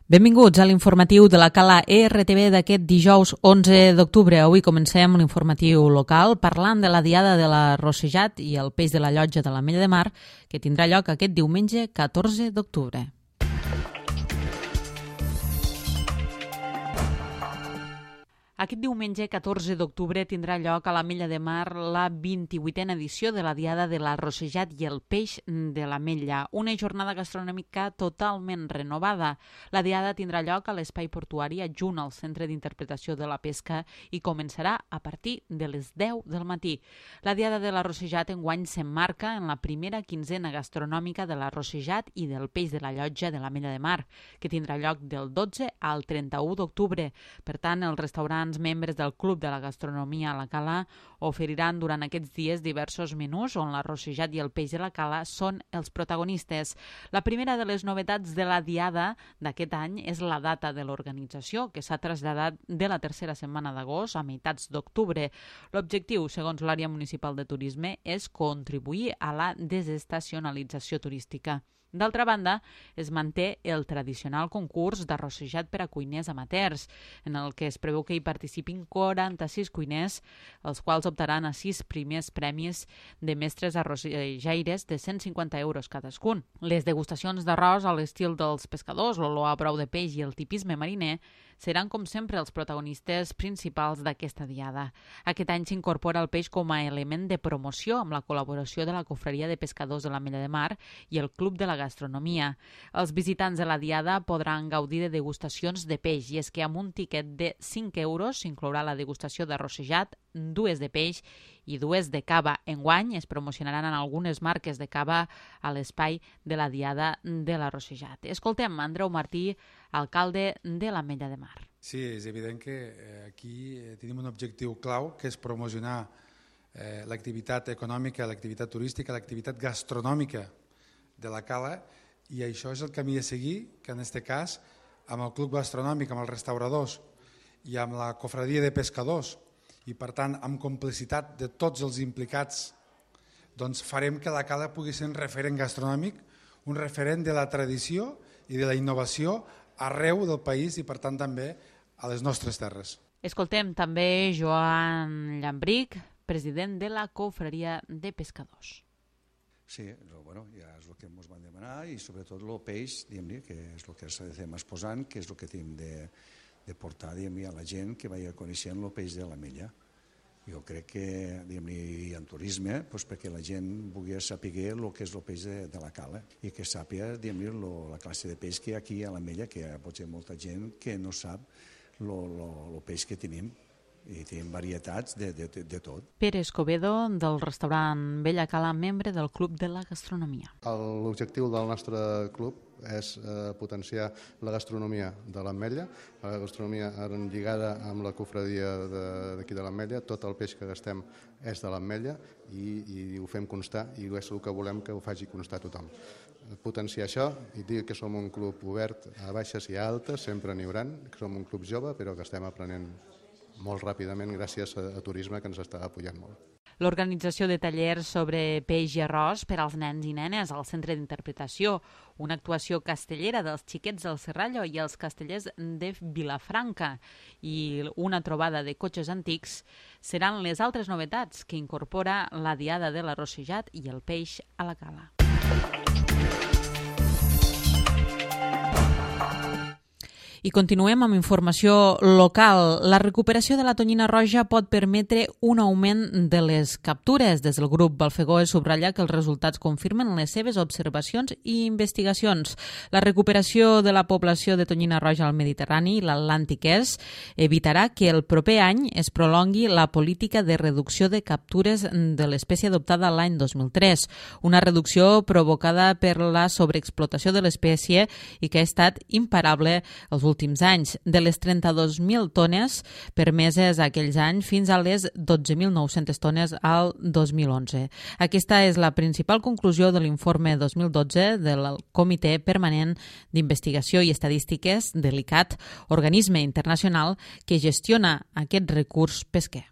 Benvinguts a l'informatiu de la Cala ERTV d'aquest dijous 11 d'octubre. Avui comencem l'informatiu local parlant de la Diada de la Rossejat i el peix de la Llotja de l'Ametlla de Mar, que tindrà lloc aquest diumenge 14 d'octubre. Aquest diumenge 14 d'octubre tindrà lloc a l'Ametlla de Mar la 28a edició de la Diada de la Rossejat i el peix de l'Ametlla, una jornada gastronòmica totalment renovada. La Diada tindrà lloc a l'espai portuari adjunt al Centre d'Interpretació de la Pesca i començarà a partir de les 10 del matí. La Diada de la Rossejat enguany s'emmarca en la primera quinzena gastronòmica de la Rossejat i del peix de la Llotja de l'Ametlla de Mar, que tindrà lloc del 12 al 31 d'octubre. Per tant, els restaurants membres del Club de la Gastronomia a la Cala oferiran durant aquests dies diversos menús on la Rossejat i el peix de la Cala són els protagonistes. La primera de les novetats de la Diada d'aquest any és la data de l'organització, que s'ha traslladat de la tercera setmana d'agost a meitats d'octubre. L'objectiu, segons l'àrea municipal de turisme, és contribuir a la desestacionalització turística. D'altra banda, es manté el tradicional concurs de rossejat per a cuiners amateurs, en el que es preveu que hi participin 46 cuiners, els quals optaran a 6 primers premis de mestres arrossejaires de 150 euros cadascun. Les degustacions d'arròs a l'estil dels pescadors, l'olor a brou de peix i el tipisme mariner seran, com sempre, els protagonistes principals d'aquesta diada. Aquest any s'incorpora el peix com a element de promoció amb la col·laboració de la Cofreria de Pescadors de l'Ametlla de Mar i el Club de la Gastronomia. Els visitants de la diada podran gaudir de degustacions de peix, i és que amb un tiquet de 5 euros s'inclourà la degustació de rossejat, 2 de peix i 2 de cava. Enguany es promocionaran en algunes marques de cava a l'espai de la diada de la Rossejat. Escoltem Andreu Martí, alcalde de l'Ametlla de Mar. Sí, és evident que aquí tenim un objectiu clau, que és promocionar l'activitat econòmica, l'activitat turística, l'activitat gastronòmica de la Cala, i això és el camí a seguir, que en aquest cas, amb el Club Gastronòmic, amb els restauradors i amb la Cofreria de Pescadors, i per tant amb complicitat de tots els implicats, doncs farem que la Cala pugui ser un referent gastronòmic, un referent de la tradició i de la innovació arreu del país i per tant també a les nostres terres. Escoltem també Joan Llambric, president de la Cofreria de Pescadors. Sí, bueno, ja és el que ens van demanar i sobretot el peix, diguem-ne, que és el que estem exposant, que és el que tenim de portar a la gent que vagi coneixent el peix de l'Ametlla. Jo crec que hi ha turisme perquè la gent vulgui saber el que és el peix de la Cala i que sàpiga la classe de peix que hi ha aquí a l'Ametlla, que hi ha potser molta gent que no sap el peix que tenim. I tenim varietats de tot. Pere Escobedo, del restaurant Vella Cala, membre del Club de la Gastronomia. L'objectiu del nostre club és potenciar la gastronomia de l'Ametlla, la gastronomia lligada amb la cofredia d'aquí de l'Ametlla. Tot el peix que gastem és de l'Ametlla i ho fem constar, i és el que volem que ho faci constar tothom. Potenciar això i dir que som un club obert a baixes i a altes, sempre n'hi haurà, que som un club jove però que estem aprenent molt ràpidament gràcies a turisme que ens està apoyant molt. L'organització de tallers sobre peix i arròs per als nens i nenes al Centre d'Interpretació, una actuació castellera dels xiquets del Serrallo i els castellers de Vilafranca i una trobada de cotxes antics seran les altres novetats que incorpora la Diada de la Rossejat i el peix a la Cala. I continuem amb informació local. La recuperació de la tonyina roja pot permetre un augment de les captures. Des del grup Balfegó es subratlla que els resultats confirmen les seves observacions i investigacions. La recuperació de la població de tonyina roja al Mediterrani i l'Atlàntic Est evitarà que el proper any es prolongui la política de reducció de captures de l'espècie adoptada l'any 2003, una reducció provocada per la sobreexplotació de l'espècie i que ha estat imparable els últims anys, de les 32.000 tones permeses aquells anys fins a les 12.900 tones al 2011. Aquesta és la principal conclusió de l'informe 2012 del Comitè Permanent d'Investigació i Estadístiques de l'ICCAT, organisme internacional que gestiona aquest recurs pesquer.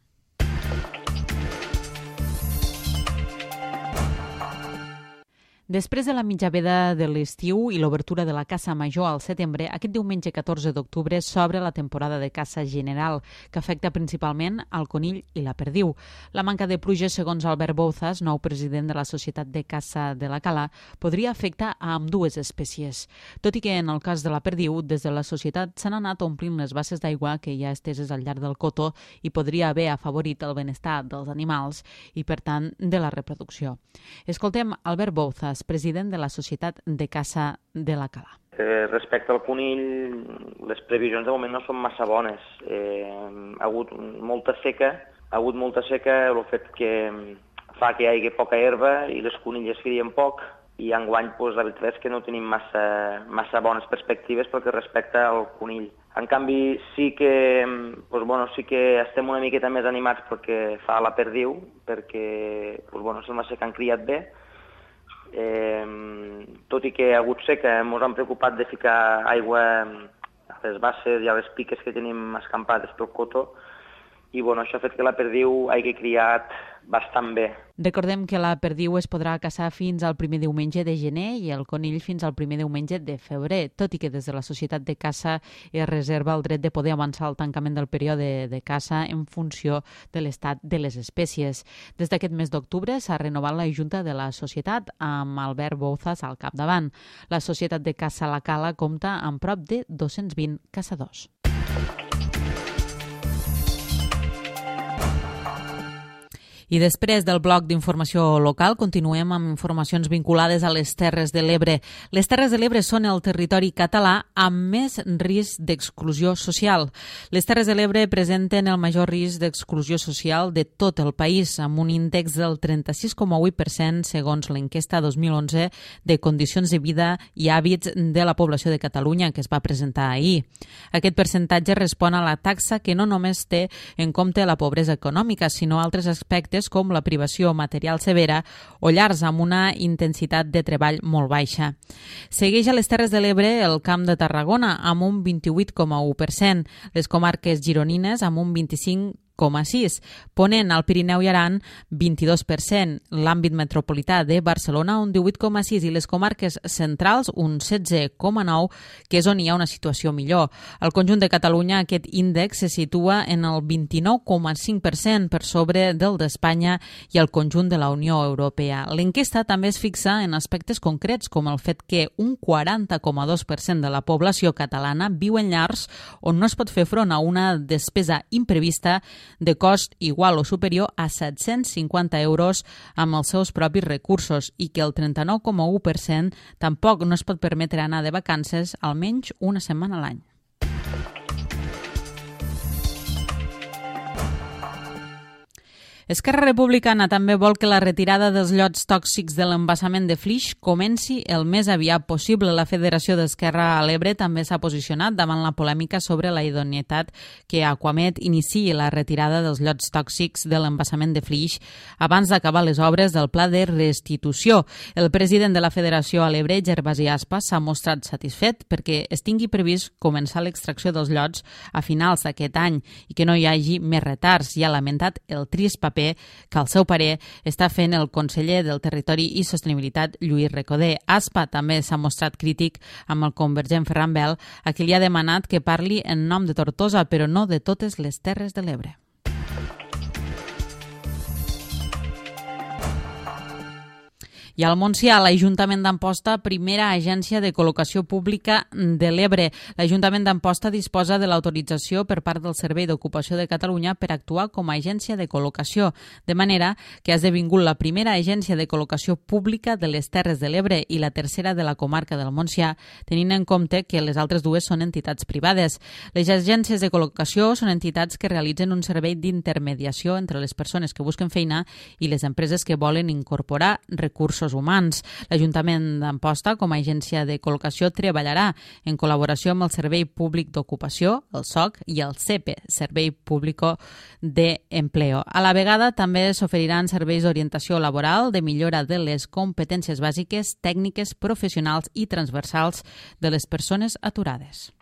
Després de la mitjaveda de l'estiu i l'obertura de la caça major al setembre, aquest diumenge 14 d'octubre s'obre la temporada de caça general, que afecta principalment al conill i la perdiu. La manca de pluges, segons Albert Bouzas, nou president de la Societat de Caça de la Cala, podria afectar a ambdues espècies. Tot i que en el cas de la perdiu, des de la societat s'han anat omplint les basses d'aigua que hi ha esteses al llarg del cotó i podria haver afavorit el benestar dels animals i, per tant, de la reproducció. Escoltem Albert Bouzas, president de la Societat de Caça de la Cala. Respecte al conill, les previsions de moment no són massa bones. Ha hagut molta seca, el fet que fa que hi hagi poca herba i les conilles crien poc, i enguany la veritat és que no tenim massa bones perspectives pel que respecta al conill. En canvi, sí que estem una miqueta més animats perquè fa la perdiu, perquè sembla ser que han criat bé. Tot i que hi ha hagut seca, ens hem preocupat de ficar aigua a les basses i a les piques que tenim escampades pel cotó, i això ha fet que la perdiu hagi criat bastant bé. Recordem que la perdiu es podrà caçar fins al primer diumenge de gener i el conill fins al primer diumenge de febrer, tot i que des de la Societat de Caça es reserva el dret de poder avançar el tancament del període de caça en funció de l'estat de les espècies. Des d'aquest mes d'octubre s'ha renovat la Junta de la Societat amb Albert Bouzas al capdavant. La Societat de Caça La Cala compta amb prop de 220 caçadors. I després del bloc d'informació local continuem amb informacions vinculades a les Terres de l'Ebre. Les Terres de l'Ebre són el territori català amb més risc d'exclusió social. Les Terres de l'Ebre presenten el major risc d'exclusió social de tot el país, amb un índex del 36,8% segons l'enquesta 2011 de condicions de vida i hàbits de la població de Catalunya que es va presentar ahir. Aquest percentatge respon a la taxa que no només té en compte la pobresa econòmica, sinó altres aspectes com la privació material severa o llars amb una intensitat de treball molt baixa. Segueix a les Terres de l'Ebre el Camp de Tarragona amb un 28,1%, les comarques gironines amb un 25,6%, Ponent, al Pirineu i Aran, 22%, l'àmbit metropolità de Barcelona, un 18,6%, i les comarques centrals, un 16,9%, que és on hi ha una situació millor. Al conjunt de Catalunya, aquest índex se situa en el 29,5% per sobre del d'Espanya i el conjunt de la Unió Europea. L'enquesta també es fixa en aspectes concrets, com el fet que un 40,2% de la població catalana viu en llars on no es pot fer front a una despesa imprevista de cost igual o superior a 750 euros amb els seus propis recursos i que el 39,1% tampoc no es pot permetre anar de vacances almenys una setmana a l'any. Esquerra Republicana també vol que la retirada dels llots tòxics de l'embassament de Flix comenci el més aviat possible. La Federació d'Esquerra a l'Ebre també s'ha posicionat davant la polèmica sobre la idoneïtat que Aquamed iniciï la retirada dels llots tòxics de l'embassament de Flix abans d'acabar les obres del pla de restitució. El president de la Federació a l'Ebre, Gervasi Aspa, s'ha mostrat satisfet perquè es tingui previst començar l'extracció dels llots a finals d'aquest any i que no hi hagi més retards, i ha lamentat el trist paper que al seu parer està fent el conseller del Territori i Sostenibilitat, Lluís Recoder. Aspa també s'ha mostrat crític amb el convergent Ferran Bel, a qui li ha demanat que parli en nom de Tortosa, però no de totes les Terres de l'Ebre. I al Montsià, l'Ajuntament d'Amposta, primera agència de col·locació pública de l'Ebre. L'Ajuntament d'Amposta disposa de l'autorització per part del Servei d'Ocupació de Catalunya per actuar com a agència de col·locació, de manera que ha esdevingut la primera agència de col·locació pública de les Terres de l'Ebre i la tercera de la comarca del Montsià, tenint en compte que les altres dues són entitats privades. Les agències de col·locació són entitats que realitzen un servei d'intermediació entre les persones que busquen feina i les empreses que volen incorporar recursos humans. L'Ajuntament d'Amposta, com a agència de col·locació, treballarà en col·laboració amb el Servei Públic d'Ocupació, el SOC, i el CEPE, Servei Público de Empleo. A la vegada, també s'oferiran serveis d'orientació laboral, de millora de les competències bàsiques, tècniques, professionals i transversals de les persones aturades.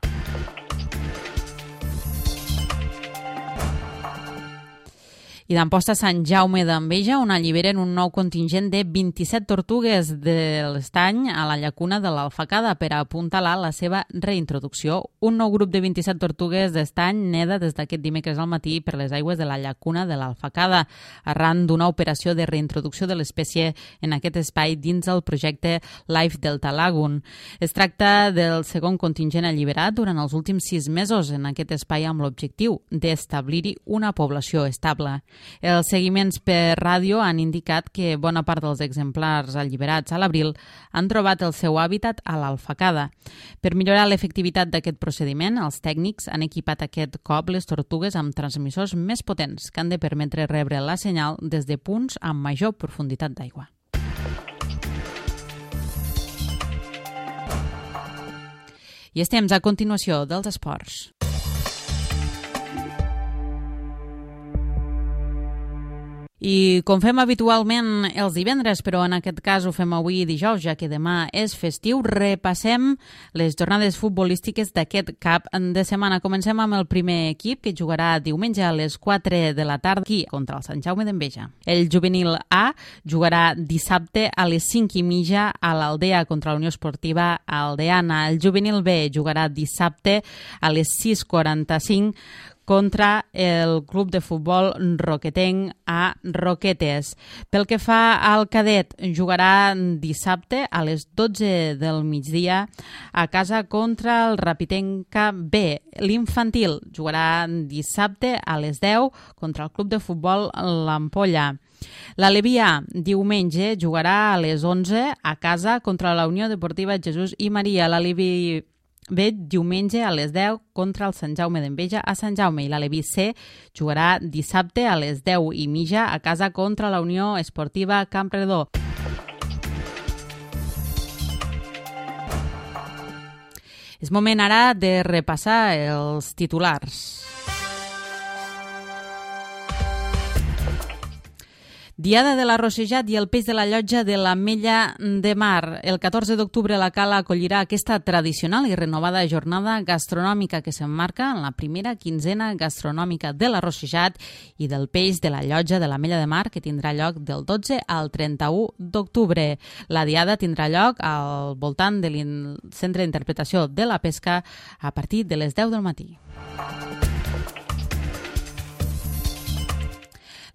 I d'Amposta Sant Jaume d'Enveja, on alliberen un nou contingent de 27 tortugues de l'estany a la llacuna de l'Alfacada per apuntalar la seva reintroducció. Un nou grup de 27 tortugues d'estany neda des d'aquest dimecres al matí per les aigües de la llacuna de l'Alfacada, arran d'una operació de reintroducció de l'espècie en aquest espai dins el projecte Life Delta Lagoon. Es tracta del segon contingent alliberat durant els últims 6 mesos en aquest espai amb l'objectiu d'establir-hi una població estable. Els seguiments per ràdio han indicat que bona part dels exemplars alliberats a l'abril han trobat el seu hàbitat a l'Alfacada. Per millorar l'efectivitat d'aquest procediment, els tècnics han equipat aquest cop les tortugues amb transmissors més potents que han de permetre rebre la senyal des de punts amb major profunditat d'aigua. I estem a continuació dels esports. I com fem habitualment els divendres, però en aquest cas ho fem avui dijous, ja que demà és festiu, repassem les jornades futbolístiques d'aquest cap de setmana. Comencem amb el primer equip, que jugarà diumenge a les 4 de la tarda aquí contra el Sant Jaume d'Enveja. El juvenil A jugarà dissabte a les 5:30 a l'Aldea contra la Unió Esportiva Aldeana. El juvenil B jugarà dissabte a les 6:45 contra el club de futbol roquetenc a Roquetes. Pel que fa al cadet, jugarà dissabte a les 12 del migdia a casa contra el Rapitenca B. L'infantil jugarà dissabte a les 10 contra el club de futbol l'Ampolla. L'Aleví A, diumenge, jugarà a les 11 a casa contra la Unió Deportiva Jesús i Maria. L'Aleví B, diumenge a les 10 contra el Sant Jaume d'Enveja a Sant Jaume, i l'Aleví C jugarà dissabte a les 10:30 a casa contra la Unió Esportiva Campredó. És moment ara de repassar els titulars. Diada de l'Arrossejat i el peix de la llotja de l'Ametlla de Mar. El 14 d'octubre la Cala acollirà aquesta tradicional i renovada jornada gastronòmica que s'emmarca en la primera quinzena gastronòmica de l'Arrossejat i del peix de la llotja de l'Ametlla de Mar, que tindrà lloc del 12 al 31 d'octubre. La diada tindrà lloc al voltant del Centre d'Interpretació de la Pesca a partir de les 10 del matí.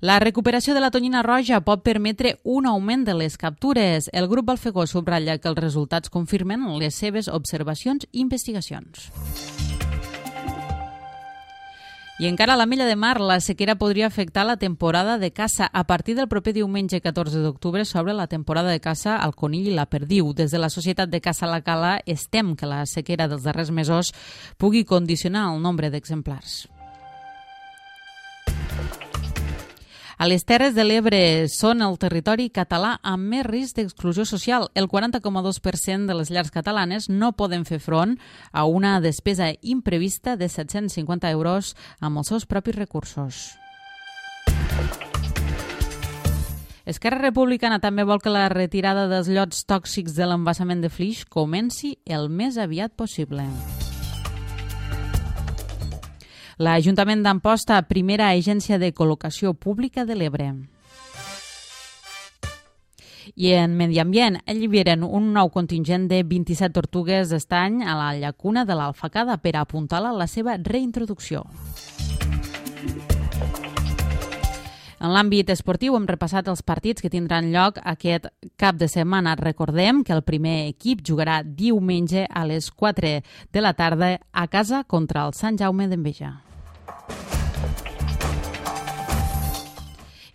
La recuperació de la tonyina roja pot permetre un augment de les captures. El grup Balfegó subratlla que els resultats confirmen les seves observacions i investigacions. I encara a l'Ametlla de Mar, la sequera podria afectar la temporada de caça. A partir del proper diumenge 14 d'octubre s'obre la temporada de caça al conill i la perdiu. Des de la Societat de Caça La Cala estem que la sequera dels darrers mesos pugui condicionar el nombre d'exemplars. A les Terres de l'Ebre són el territori català amb més risc d'exclusió social. El 40,2% de les llars catalanes no poden fer front a una despesa imprevista de 750 euros amb els seus propis recursos. Esquerra Republicana també vol que la retirada dels llots tòxics de l'embassament de Flix comenci el més aviat possible. L'Ajuntament d'Amposta, primera agència de col·locació pública de l'Ebre. I en Medi Ambient alliberen un nou contingent de 27 tortugues d'estany a la llacuna de l'Alfacada per apuntalar la seva reintroducció. En l'àmbit esportiu hem repassat els partits que tindran lloc aquest cap de setmana. Recordem que el primer equip jugarà diumenge a les 4 de la tarda a casa contra el Sant Jaume d'Enveja.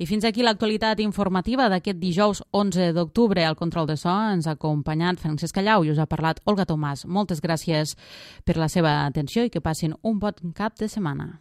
I fins aquí l'actualitat informativa d'aquest dijous 11 d'octubre. Al control de so ens ha acompanyat Francesc Callau i us ha parlat Olga Tomàs. Moltes gràcies per la seva atenció i que passin un bon cap de setmana.